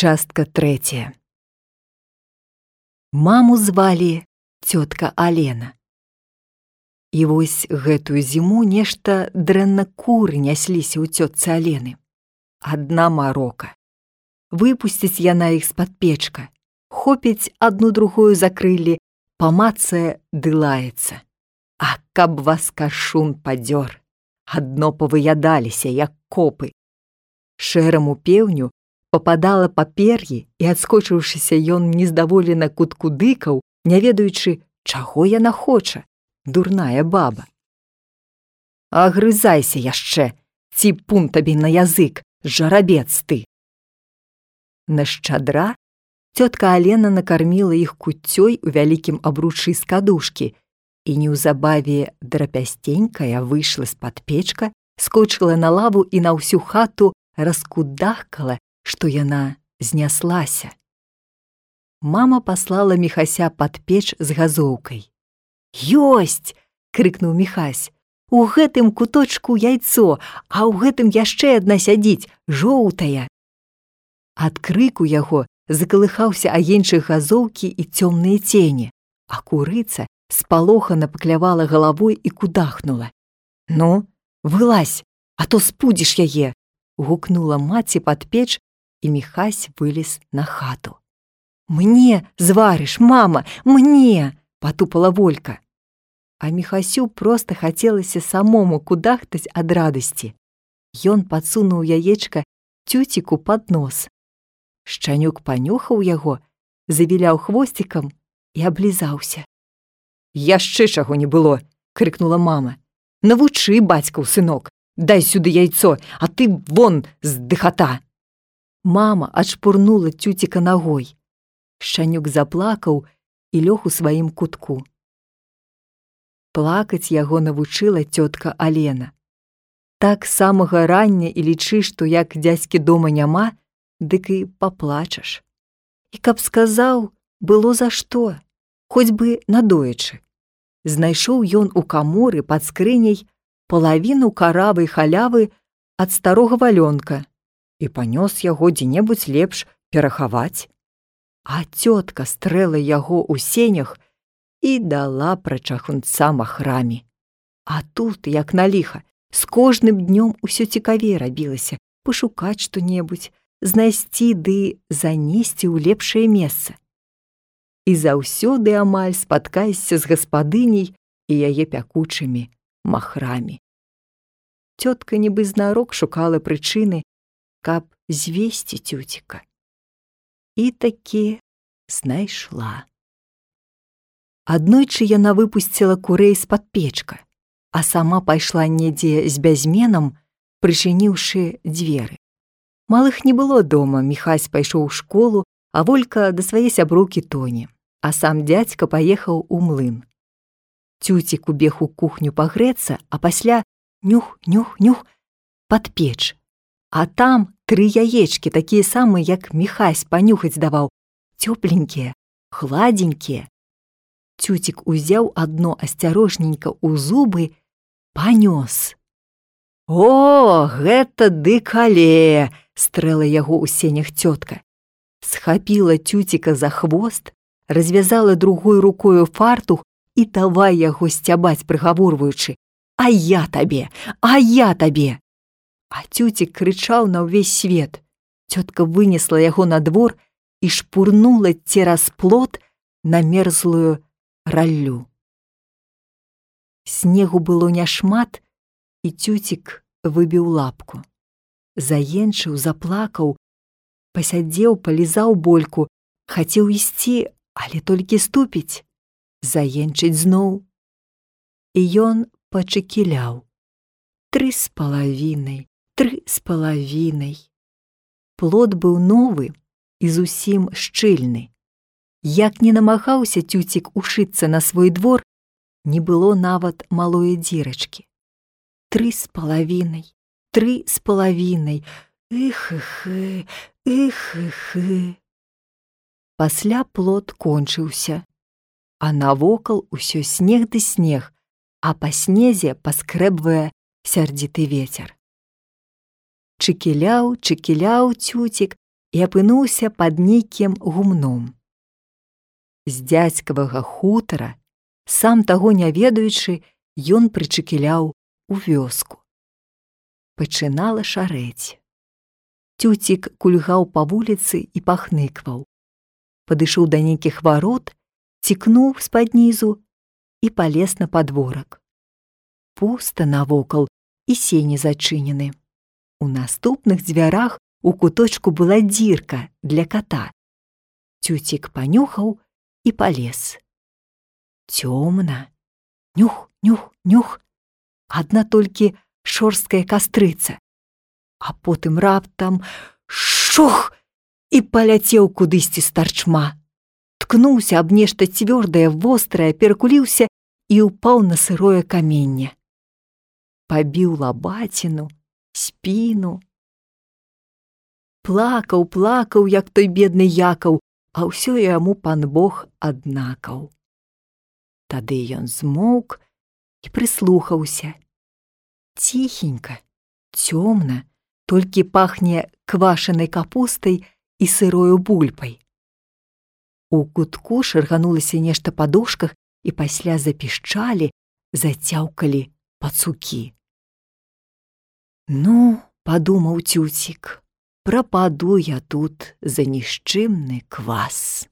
Частка 3. Маму звалі цётка Алена. І вось гэтую зіму нешта дрэнна куры нясліся ў цётцы Алены. Адна марока. Выпусціць яна іх з-пад печка, хопіць адну другую за крыллі, памацае ды лаецца. А каб вас кашун падзёр, адно павыядаліся, як копы. Шэраму пеўню пападала па пер'і, і, адскочыўшыся, ён нездаволена куткудыкаў, не ведаючы, чаго яна хоча, дурная баба. Агрызайся яшчэ, ці пун табе на язык, жарабец ты. На шчадра цётка Алена накарміла іх куццёй у вялікім абручы з кадушкі, і неўзабаве драпясценькая выйшла з-пад печка, скочыла на лаву і на ўсю хату раскудахкала, што яна зняслася. Мама паслала Міхася пад печ з газоўкай. «Ёсць!» — крыкнуў Міхась. «У гэтым куточку яйцо, а ў гэтым яшчэ адна сядзіць, жоўтая!» Ад крыку яго закалыхаўся агеньчык газоўкі і цёмныя цені, а курыца спалохана паклявала галавой і кудахнула. «Ну, вылазь, а то спудзіш яе!» — гукнула маці пад печ, і Міхась вылез на хату. «Мне зварыш, мама, мне!» — патупала Волька. А Міхасю проста хацелася самому кудахтаць ад радасці. Ён падсунуў яечка цюціку пад нос. Шчанюк панюхаў яго, завіляў хвосцікам і аблізаўся. «Яшчэ чаго не было!» — крыкнула мама. «Навучы, бацькаў сынок, дай сюды яйцо, а ты вон з дыхата!» Мама адшпурнула цюціка нагой. Шчанюк заплакаў і лёг у сваім кутку. Плакаць яго навучыла цётка Алена. Так самага рання і лічы, што як дзядзькі дома няма, дык і паплачаш. І каб сказаў, было за што, хоць бы надоечы. Знайшоў ён у каморы пад скрыняй палавіну каравай халявы ад старога валёнка і панёс яго дзе-небудзь лепш перахаваць. А цётка стрэла яго ў сенях і дала прачахунца махрамі. А тут, як на ліха, з кожным днём усё цікавей рабілася пашукаць што-небудзь, знайсці ды занесці ў лепшае месца. І заўсёды амаль спаткаешся з гаспадыняй і яе пякучымі махрамі. Цётка нібы знарок шукала прычыны, каб звесці цюціка. І такі знайшла. Аднойчы яна выпусціла курэй з-пад печка, а сама пайшла недзе з бязменам, прычыніўшы дзверы. Малых не было дома, Міхась пайшоў у школу, а Волька да свае сяброўкі Тоні, а сам дзядзька паехаў у млын. Цюцік убег у кухню пагрэцца, а пасля нюх-нюх-нюх пад печ. А там 3 яечкі, такія самыя, як Міхась панюхаць даваў, цёпленькія, гладзенькія. Цюцік узяў адно асцярожненька ў зубы, панёс. «О, гэта дыкале!» — стрэла яго ў сенях цётка. Схапіла цюціка за хвост, развязала другой рукою фартух і давай яго сцябаць, прыгаворваючы: «А я табе! А я табе!» А цюцік крычаў на ўвесь свет. Цётка вынесла яго на двор і шпурнула цераз плот на мерзлую раллю. Снегу было няшмат, і цюцік выбіў лапку. Заенчыў, заплакаў, пасядзеў, палізаў больку, хацеў ісці, але толькі ступіць, заенчыць зноў. І ён пачакіляў. 3,5. 3,5. Плот быў новы і зусім шчыльны. Як не намагаўся цюцік ушыцца на свой двор, не было нават малой дзірачкі. 3,5. 3,5. Іх-іх-іх, іх-іх-іх. Пасля плот кончыўся, а навокал усё снег ды снег, а па снезе паскрэбвае сярдзіты вецер. Чыкіляў цюцік, і апынуўся пад нейкім гумном. З дзядзькавага хутара, сам таго не ведаючы, ён прычыкіляў у вёску. Пачынала шарэць. Цюцік кульгаў па вуліцы і пахныкваў. Падышоў да нейкіх варот, цікнуў з-пад нізу і палез на падворак. Пуста навокал і сені зачынены. У наступных дзвярах у куточку была дзірка для ката. Цюцік панюхаў і палез. Цёмна. Нюх, нюх, нюх. Адна толькі шорсткая кастрыца. А потым раптам шух! І паляцеў кудысьці з тарчма. Ткнуўся аб нешта цвёрдае, вострае, перакуліўся і ўпаў на сырое каменне. Пабіў лабаціну, спіну. Плакаў, як той бедны Якаў, а ўсё яму пан Бог аднакаў. Тады ён змоўк і прыслухаўся. Ціхенька, цёмна, толькі пахне квашанай капустай і сырою бульбай. У кутку шарганулася нешта па дошках і пасля запішчалі, зацяўкалі пацукі. Ну, падумаў Цюцік, прападу я тут за нішчымны квас.